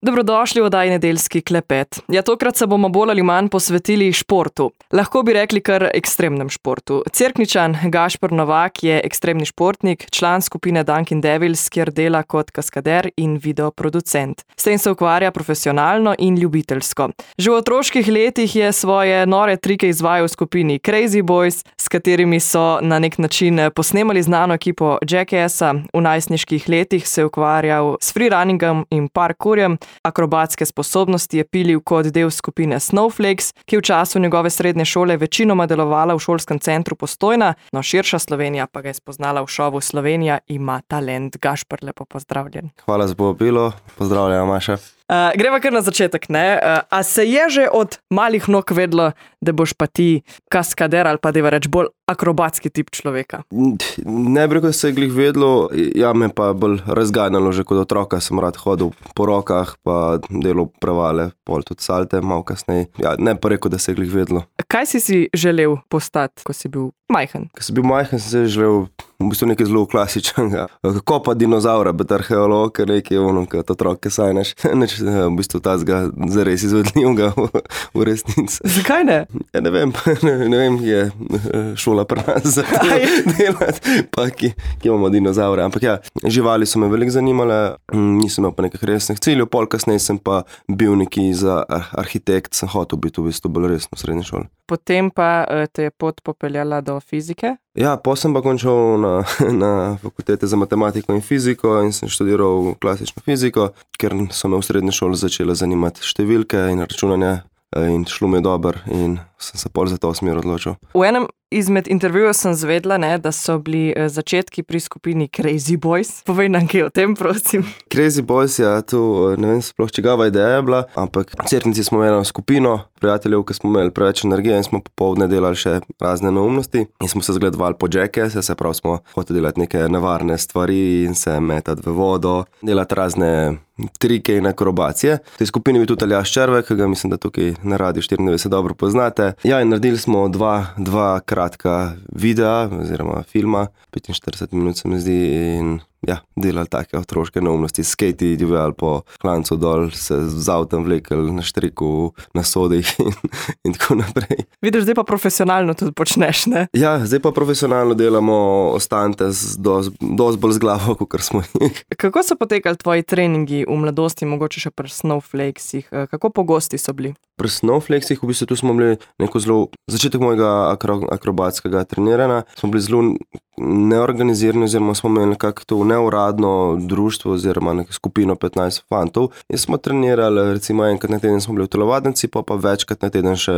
Dobrodošli v oddaji Nedeljski klepet. Ja, tokrat se bomo bolj ali manj posvetili športu. Lahko bi rekli kar ekstremnem športu. Cerkničan Gašper Novak je ekstremni športnik, član skupine Dunkin Devils, kjer dela kot kaskader in videoproducent. S tem se ukvarja profesionalno in ljubiteljsko. Že v otroških letih je svoje nore trike izvajal v skupini Crazy Boys, s katerimi so na nek način posnemali znano ekipo Jackaassa. V najstniških letih se je ukvarjal s freerunningom in parkourjem. Akrobatske sposobnosti je pilil kot del skupine Snowflakes, ki v času njegove srednje šole večinoma delovala v šolskem centru Postojna, no širša Slovenija pa ga je spoznala v šovu Slovenija ima talent. Gašper, lepo pozdravljen. Hvala za povabilo, pozdravljam, Maša. Greva kar na začetek, ne? A se je že od malih nog vedlo, da boš pa ti kaskader ali pa da reč bolj akrobatski tip človeka? Ne bi rekel, da se je glih vedlo, ja me pa bolj razganjalo, že kot otroka sem rad hodil po rokah, pa delal prevale, pol tudi salte, malo kasneje. Ja, ne pa rekel, da se je glih vedlo. Kaj si želel postati, ko si bil majhen? Ko sem bil majhen, sem se želel v bistvu nekaj zelo klasičnega. Kako pa dinozaura, bet arheolog, nekaj ono, kot otrok, ki sanjaš. V bistvu tazga zares izvedljivega v resnici. Zakaj ne? Ja, ne vem, je šola pri nas za to delati, pa ki imamo dinozaure. Ampak ja, živali so me veliko zanimale, nisem imel pa nekih resnih ciljev, pol kasneje sem pa bil neki za arhitekt, sem hotel biti v bistvu bolj resno v srednji šoli. Potem pa te je pot popeljala do fizike? Ja, potem sem pa končal na fakultete za matematiko in fiziko in sem študiral klasično fiziko, ker so me v srednji šoli začele zanimati številke in računanje in šlo mi je dobro in sem se pol za to smer odločil. V enem izmed intervjujev sem zvedla, da so bili začetki pri skupini Crazy Boys. Povej nam kaj o tem, prosim. Crazy Boys, ja, tu ne vem sploh čigava ideja je bila, ampak v Cerknici smo imeli skupino prijateljev, ki smo imeli preveč energije in smo popoldne delali še razne neumnosti in smo se zgledovali po Jackasse, se pravi smo hoteli delati neke nevarne stvari in se metati v vodo, delati razne trike in akrobacije. V tej skupini je bil tudi Aljaž Červek, ki ga mislim, da tukaj na Radiu 94 dobro poznate. Ja, in naredili smo dva kratka videa oziroma filma, 45 minut se mi zdi in ja, delali take otroške neumnosti, skejti, divjali po klancu dol, se z avtom vlekli na štriku, na sodih in tako naprej. Vidiš, zdaj pa profesionalno tudi počneš, ne? Ja, zdaj pa profesionalno delamo ostante dosti bolj z glavo, kot smo jih. Kako so potekali tvoji treningi v mladosti, mogoče še pri Snowflakesih? Kako pogosti so bili? Pri Snowflakesih v bistvu tu smo bili neko zelo, začetek mojega akrobatskega treniranja, smo bili zelo neorganizirani oziroma smo imeli nekako to neuradno društvo oziroma neko skupino 15 fantov in smo trenirali, recimo enkrat na teden smo bili v telovadnici, pa večkrat na teden še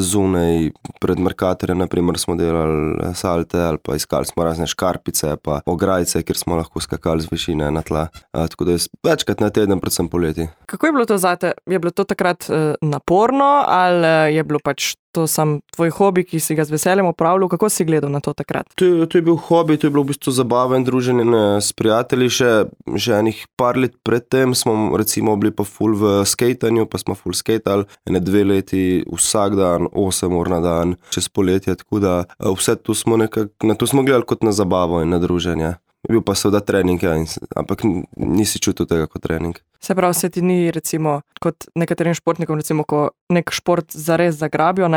zunaj pred Mercatorjem, naprimer smo delali salte ali pa iskali smo razne škarpice pa ograjice, kjer smo lahko skakali z višine na tla, tako da je večkrat na teden, predvsem poleti. Kako je bilo to zate? Je bilo to takrat naporno ali je bilo pač to sam tvoj hobi, ki si ga z veseljem opravljal? Kako si gledal na to takrat? To je bil hobi, to je bilo v bistvu zabava in druženje s prijatelji. Že enih par let predtem smo recimo bili pa ful v skejtanju, pa smo ful skejtali 2 leti vsak dan, 8 ur na dan, čez poletje, tako da vse tu smo na to smo gledali kot na zabavo in na druženje. Bil pa seveda trening, ja, ampak nisi čutil tega kot trening. Se pravi, se ti ni recimo kot nekaterim športnikom, recimo ko nek šport zares zagrabijo,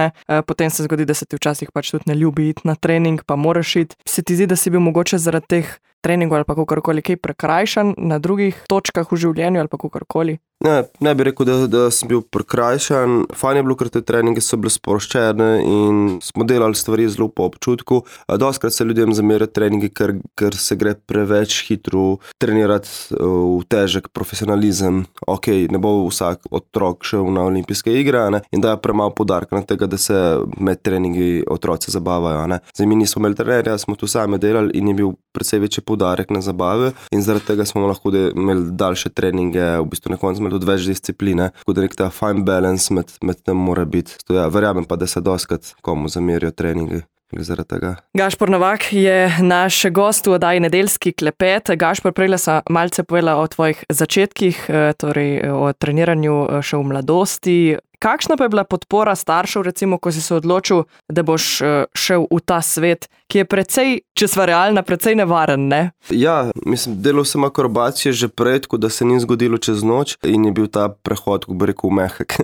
potem se zgodi, da se ti včasih pač tudi ne ljubi iti na trening, pa moraš iti. Se ti zdi, da si bil mogoče zaradi teh treningov ali pa kakorkoli kaj prekrajšan na drugih točkah v življenju ali pa kakorkoli? Ne bi rekel, da sem bil prekrajšan. Fajn je bilo, ker te treninge so bile sproščene in smo delali stvari zelo po občutku. Dostikrat se ljudem zamerjajo treningi, ker se gre preveč hitro trenirati v težek profesionalizem. Ok, ne bo vsak otrok šel na olimpijske igre, in dajo premalo poudarka na tega, da se med treningi otroci zabavajo. Zdaj mi nismo imeli trenerja, smo tu sami delali in je bil precej večji poudarek na zabave in zaradi tega smo lahko imeli daljše treninge, v bistvu na koncu imeli tudi več discipline, tako da nek ta fine balance med tem mora biti. Ja, verjamem pa, da se dostikrat komu zamerijo treningi. Gašper Novak je naš gost v oddaji Nedeljski klepet. Gašper, prejle sem malce povedala o tvojih začetkih, torej o treniranju še v mladosti. Kakšna pa je bila podpora staršev, recimo, ko si se odločil, da boš šel v ta svet, ki je precej, če sva realna, precej nevaren, ne? Ja, mislim, delal sem akrobacije že prej, tako da se ni zgodilo čez noč in je bil ta prehod, kako bi rekel, mehek.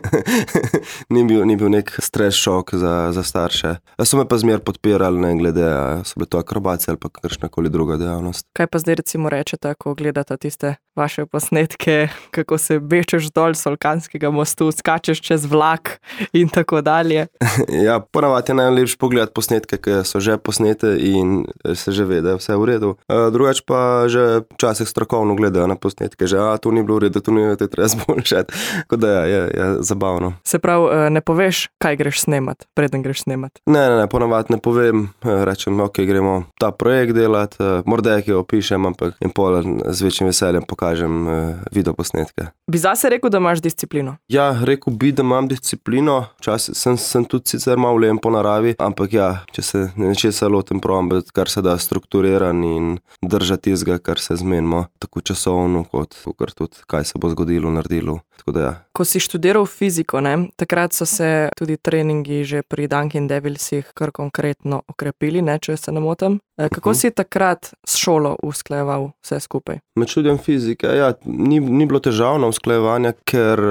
ni bil nek stres šok za starše. So me pa zmer podpirali, ne glede, so bile to akrobacije ali pa kakršnakoli druga dejavnost. Kaj pa zdaj recimo rečete, ko gledate tiste vaše posnetke, kako se bečeš dol s Solkanskega mostu, skačeš čez vlak in tako dalje? Ja, ponavadi je najlepše pogledati posnetke, ki so že posnete in se že ve, da je vse v redu. Drugač pa že včasih strokovno gledajo na posnetke, že to ni bilo v redu, to ni treba zboljšati. Tako da je zabavno. Se pravi, ne poveš, kaj greš snemat, preden greš snemat? Ne, ponavadi ne povem, rečem, ok, gremo ta projekt delati, morda ki jo opišem, ampak in pol z večjim veseljem pokažem video posnetke. Bi zase rekel, da imaš disciplino? Ja, rekel bi, da imam disciplino, včasih sem tudi sicer malo len po naravi, ampak ja, če se nečesa lotim, probam biti kar se da strukturiran in držati tistega, kar se zmenimo, tako časovno, kot tudi kaj se bo zgodilo, naredilo. Tako da ja. Ko si študiral fiziko, ne, takrat so se tudi treningi že pri Dunkin Devilsih kar konkretno okrepili, ne, če se ne motim. Kako si takrat s šolo usklajeval vse skupaj? Med študiem fizike, ja, ni bilo težavno usklajevanja, ker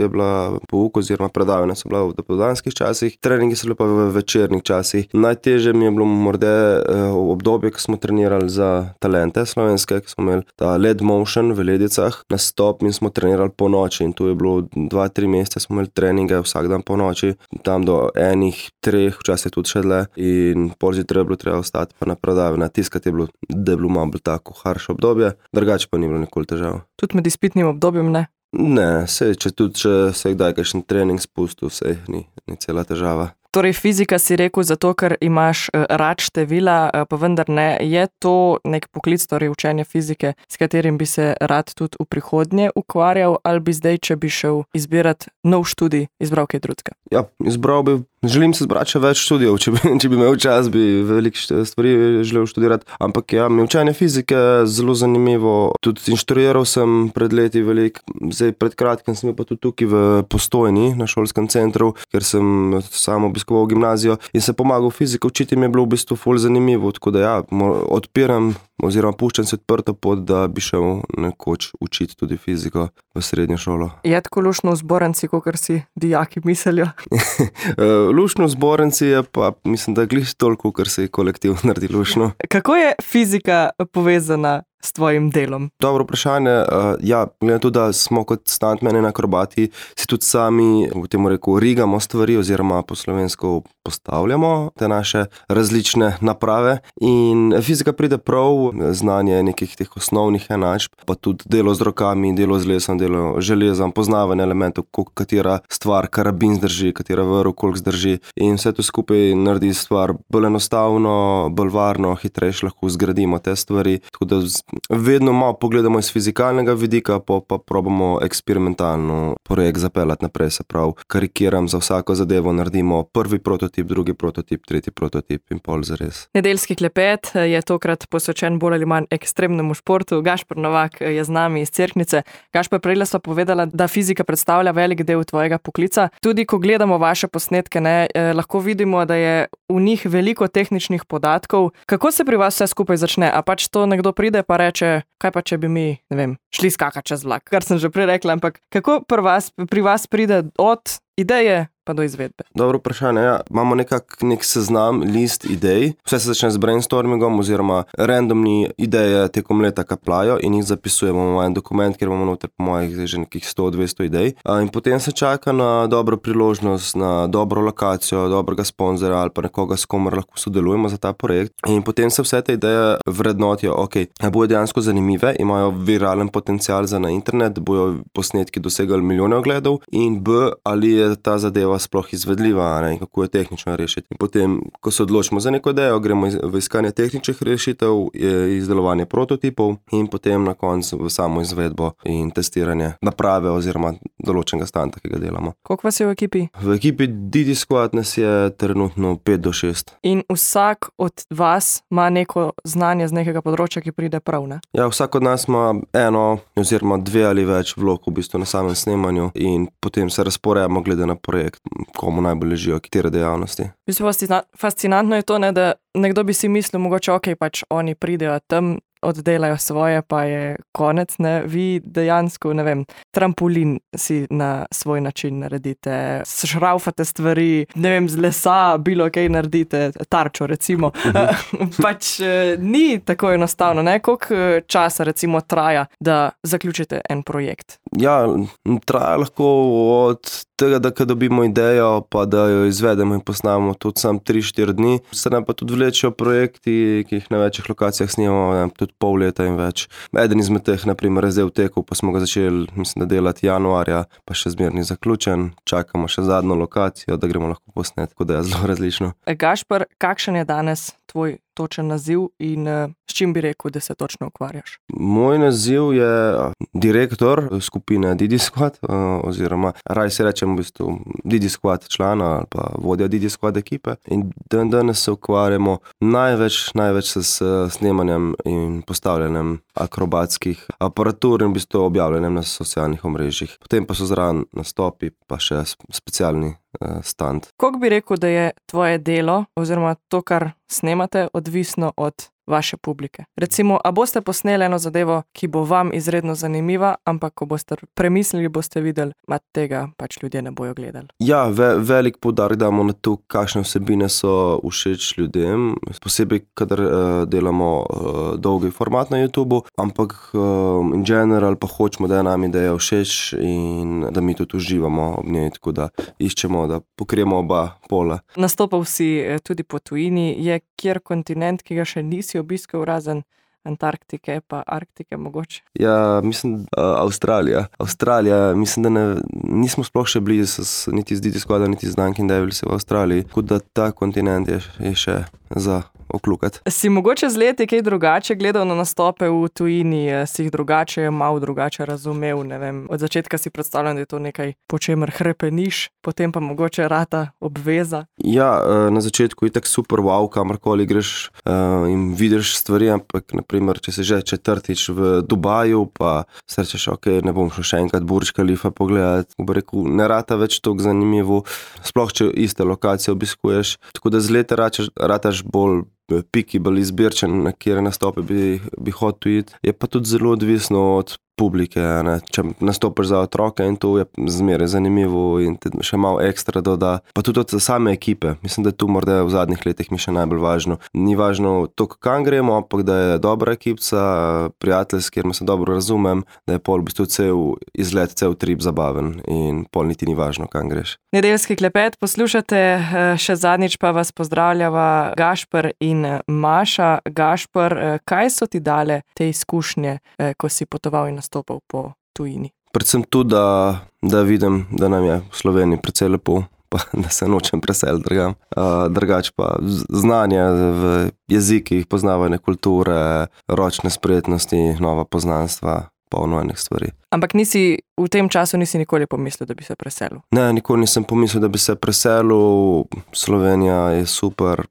je bila pouk oziroma predavanja so bila v dopoldanskih časih, treningi so bili pa v večernih časih. Najtežje mi je bilo morda obdobje, ko smo trenirali za talente slovenske, ko smo imeli ta lead motion v Ledicah, nastop in smo trenirali po noči in tu je bilo 2-3 mesece, smo imeli treninge vsak dan po noči, tam do 1-3, včasih tudi še dlje in pol zjutraj je bilo treba ostati pa na predavanje, tiskati je bilo, da je bilo malo bolj tako harše obdobje, drugače pa ni bilo nikoli težav. Tudi med izpitnim obdobjem ne? Ne, če se kdaj kakšen trening spustil, ni cela težava. Torej fizika si rekel zato, ker imaš rad števila, pa vendar ne, je to nek poklic, torej učenje fizike, s katerim bi se rad tudi v prihodnje ukvarjal, ali bi zdaj, če bi šel izbirati nov študij, izbral kaj drugega? Ja, želim se zbrati še več študijev, če bi imel čas, bi veliko stvari želel študirati, ampak ja, mi učenje fizike zelo zanimivo, tudi inštruiral sem pred leti veliko, zdaj pred kratkim sem pa tudi tukaj v Postojni, na šolskem centru, ker sem sam obiskoval gimnazijo in se pomagal fiziko učiti, mi je bilo v bistvu ful zanimivo, tako da ja, odpiram oziroma puščam se odprto pot, da bi šel nekoč učiti tudi fiziko v srednjo šolo. Je tako luštno v zbornici, kakor si dijaki mislijo? Luštno v zbornici je pa, mislim, da glih toliko, kar se je kolektiv naredi luštno. Kako je fizika povezana s tvojim delom? Dobro vprašanje. Ja, glede to, da smo kot stuntmeni in akrobati, si tudi sami, v tem reku, rigamo stvari oziroma po slovensko postavljamo te naše različne naprave in fizika pride prav, znanje nekih teh osnovnih enačb, pa tudi delo z rokami, delo z lesom, delo železom, poznavanje elementov, katera stvar karabin zdrži, katera vrv koliko zdrži in vse to skupaj naredi stvar bolj enostavno, bolj varno, hitrejše lahko zgradimo te stvari, tako da vedno malo pogledamo iz fizikalnega vidika, pa probamo eksperimentalno projekt zapeljati naprej, se pravi, karikiram za vsako zadevo, naredimo prvi prototip, drugi prototip, tretji prototip in pol zares. Nedeljski klepet je tokrat posvečen bolj ali manj ekstremnemu športu. Gašper Novak je z nami iz Cerknice. Gašper, prej sva povedala, da fizika predstavlja velik del tvojega poklica. Tudi ko gledamo vaše posnetke, lahko vidimo, da je v njih veliko tehničnih podatkov. Kako se pri vas vse skupaj začne? A pač to nekdo pride pa reče, kaj pa če bi mi, ne vem, šli skakati čez vlak, kar sem že prej rekla, ampak kako pri vas pride od ideje pa do izvedbe? Dobro vprašanje, ja. Imamo nek seznam, list idej, vse se začne z brainstormingom oziroma randomni ideje tekom leta kaplajo in jih zapisujemo v en dokument, kjer imamo noter po mojih že nekih 100-200 idej in potem se čaka na dobro priložnost, na dobro lokacijo, dobrega sponzorja ali pa nekoga, s komer lahko sodelujemo za ta projekt in potem se vse te ideje vrednotijo, ok, bojo dejansko zanimive, imajo viralen potencial za na internet, bojo posnetki dosegali milijone ogledov in ali je ta zadeva sploh izvedljiva, ne, in kako je tehnično rešiti. In potem, ko se odločimo za neko idejo, gremo v iskanje tehničnih rešitev, izdelovanje prototipov in potem na koncu v samo izvedbo in testiranje naprave oziroma določenega stanta, ki ga delamo. Koliko vas je v ekipi? V ekipi Didi Squad nas je trenutno 5 do 6. In vsak od vas ima neko znanje z nekega področja, ki pride prav, ne? Ja, vsak od nas ima eno oziroma 2 ali več vlog v bistvu na samem snemanju in potem se razporejamo glede na projekt, komu najbolj ležijo katere dejavnosti. V bistvu fascinantno je to, ne, da nekdo bi si mislil, mogoče pač oni pridejo tam, oddelajo svoje, pa je konec, ne, vi dejansko, ne vem, trampolin si na svoj način naredite, šraufate stvari, ne vem, z lesa, bilo kaj naredite, tarčo recimo, pač ni tako enostavno, ne, koliko časa recimo traja, da zaključite en projekt? Ja, traja lahko od tega, da dobimo idejo, pa da jo izvedemo in posnamemo tudi sam 3-4 dni. Se nam pa tudi vlečejo projekti, ki jih na večjih lokacijah snimamo, tudi pol leta in več. Eden izmed teh, na primer, je zdaj v teku, pa smo ga začeli, mislim, da delati januarja, pa še zmeraj ni zaključen. Čakamo še zadnjo lokacijo, da gremo lahko posnet, tako da je zelo različno. Gašper, kakšen je danes tvoj točen naziv in s čim bi rekel, da se točno ukvarjaš? Moj naziv je direktor skupine Didi Squad, oziroma raj se rečem v bistvu Didi Squad člana ali pa vodja Didi Squad ekipe. In danes se ukvarjamo največ s snemanjem in postavljanjem akrobatskih aparatur in v bistvu objavljanjem na socialnih omrežjih. Potem pa so zraven nastopi, pa še specialni stand. Koliko bi rekel, da je tvoje delo oziroma to, kar snemate, odvisno od vaše publike? Recimo, a boste posneli eno zadevo, ki bo vam izredno zanimiva, ampak ko boste premislili, boste videli, tega pač ljudje ne bojo gledali. Ja, velik poudarek damo na to, kakšne vsebine so všeč ljudem, posebej, kadar delamo dolgi format na YouTubu, ampak in general pa hočemo, da je nam ideja všeč in da mi tudi uživamo ob njej, tako da iščemo, da pokrijemo oba pola. Nastopal si tudi po tujini, je kjer kontinent, ki ga še nisi obiskal, razen Antarktike pa Arktike mogoče? Ja, mislim, Avstralija. Mislim, da nismo sploh še bili niti z Didi Squada, niti z Dunkin Devils v Avstraliji, tako da ta kontinent je še za oklukati. Si mogoče z leti kaj drugače gledal na nastope v tujini, si jih malo drugače razumel, ne vem, od začetka si predstavljam, da je to nekaj, po čemer hrepeniš, potem pa mogoče rata obveza? Ja, na začetku je tak super wow, kamorkoli greš in vidiš stvari, ampak naprimer, če si že 4. v Dubaju, pa se rečeš, ne bom šel še enkrat Burj Khalifa pogledati, bo rekel, ne rata več toliko zanimivo, sploh če iste lokacije obiskuješ, tako da z leta rataš bolj piki, bolj izbirčen, na kjer nastope bi hotel iti. Je pa tudi zelo odvisno od publike, ne. Če nastopiš za otroke in to je zmeraj zanimivo in te še malo ekstra doda. Pa tudi od same ekipe. Mislim, da je tu morda v zadnjih letih mi še najbolj važno. Ni važno to, kam gremo, ampak da je dobra ekipca, prijateljski, kjer me se dobro razumem, da je pol v bistvu cel izlet, cel trip zabaven in pol niti ni važno, kam greš. Nedeljski klepet poslušate, še zadnjič pa vas pozdravljava Gašper in Maša. Gašper, kaj so ti dale te izkušnje, ko si potoval in nastopal po tujini? Predvsem tu, da vidim, da nam je v Sloveniji precej lepo, pa da se nočem preseliti drugam. Drugače pa znanje v jezikih, poznavanje kulture, ročne spretnosti, nova poznanstva, polno enih stvari. Ampak v tem času nisi nikoli pomislil, da bi se preselil? Ne, nikoli nisem pomislil, da bi se preselil. Slovenija je super,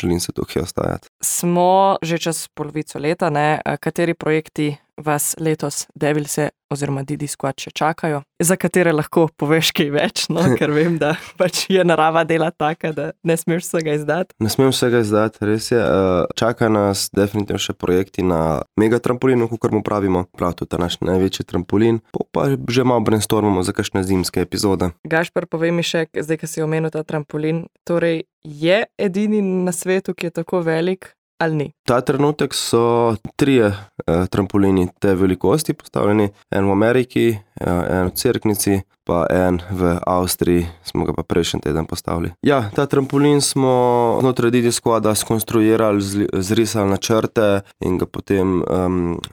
želim se tukaj ostajati. Smo že čez polovico leta, ne? Kateri projekti vas letos Devilse oziroma Didi Squad še čakajo, za katere lahko poveš kaj več, no? Ker vem, da pač je narava dela taka, da ne smeš vsega izdati. Ne smem vsega izdati, res je. Čaka nas definitivno še projekti na mega trampolinu, kakor mu pravimo, prav tudi ta naš največji trampolin, pa že malo brainstormamo za kakšne zimske epizode. Gašper, povej mi še, zdaj, ko si omenil ta trampolin, torej je edini na svetu, ki je tako velik, ali ni? Ta trenutek so 3 trampolini te velikosti postavljeni, en v Ameriki, en v Cerknici, pa en v Avstriji, smo ga pa prejšnji teden postavili. Ja, ta trampolin smo znotraj Didi Squada skonstruirali, zrisali načrte in ga potem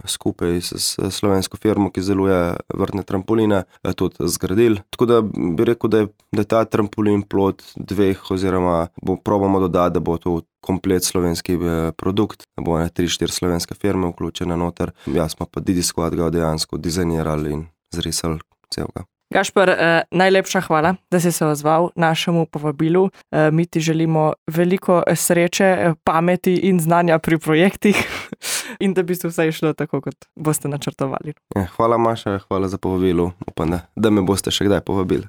skupaj s slovensko firmo, ki izdeluje vrtne trampoline, tudi zgradili. Tako da bi rekel, da je ta trampolin plod 2 oziroma probamo dodati, da bo to komplet slovenski produkt, da bo 3-4 slovenske firme vključene noter. Jaz smo pa Didi Squad ga dejansko dizajnirali in zrisali celega. Gašper, najlepša hvala, da si se odzval našemu povabilu. Mi ti želimo veliko sreče, pameti in znanja pri projektih in da bi se vse išlo tako, kot boste načrtovali. Hvala, Maša, hvala za povabilo. Upam, da me boste še kdaj povabili.